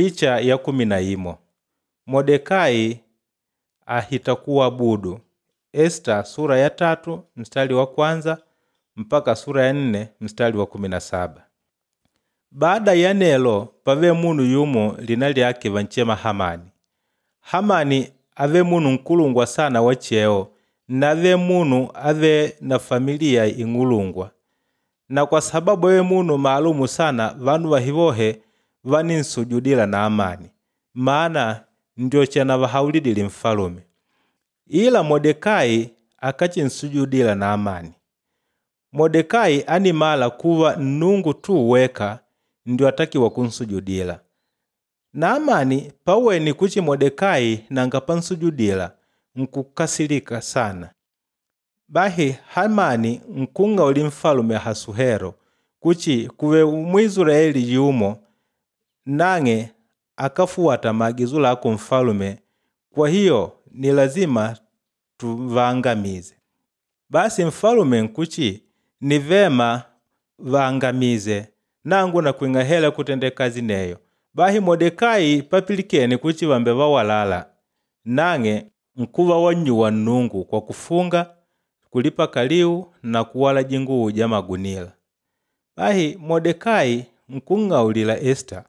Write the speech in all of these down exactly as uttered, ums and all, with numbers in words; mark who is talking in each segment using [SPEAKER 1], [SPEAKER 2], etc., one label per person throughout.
[SPEAKER 1] Picha ya kumi na imo. Modekai ahita kuabudu. Esita sura ya tatu mstari wa kwanza mpaka sura ya nne mstari wa kumi na saba. Baada ya nelo pave munu yumo lina lyake vanchema Hamani. Hamani ave munu nkulungwa sana wa cheo nave munu ave na familia ing'ulungwa. Na kwa sababu ave munu maalumu sana vanu vahivohe vaninsujudila na amani. Maana ndio chanavahaulidile mfalume. Ila Modekai akachinsujudila na amani. Modekai animala kuva Nnungu tu weka ndio atakiwa kunsujudila. Naamani paweni kuchi Modekai nanga pansujudila nkukasilika sana. Bahi Hamani nkung'auli mfalume Ahasuhero kuchi kuve Mwisraeli yumo nang'e akafuwata maagizo lako mfalume, kwa hiyo ni lazima tuvangamize. Basi mfalume nkuchi ni vema vangamize nangu nakwing'a hela kutenda kazi neyo. Bahi Modekai papilikene kuchi vambe vawalala nang'e nkuva wannyuwa Nnungu kwa kufunga, kulipa kaliu na kuwala jinguwu ja magunila. Bahi Modekai nkung'aulila Esita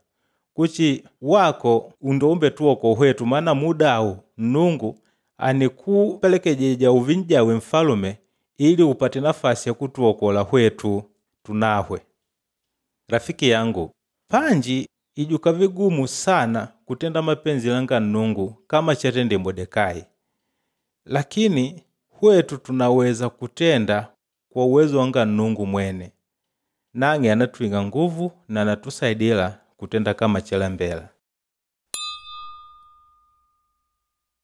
[SPEAKER 1] kuchi wako ndo umbetuokoa hwetu maana muda awu Nnungu anikupelekejeja uve n'jawe mfalume ili upate nafasi ya kutuokola hwetu tunahwe. Rafiki yangu, panji ijuka vigumu sana kutenda mapenzi langa Nnungu kama chatende Modekai. Lakini hwetu tunaweza kutenda kwa uwezo wanga Nnungu mwene. Nang'e anatwing'a nguvu na anatusaidila kutenda kama chalembela.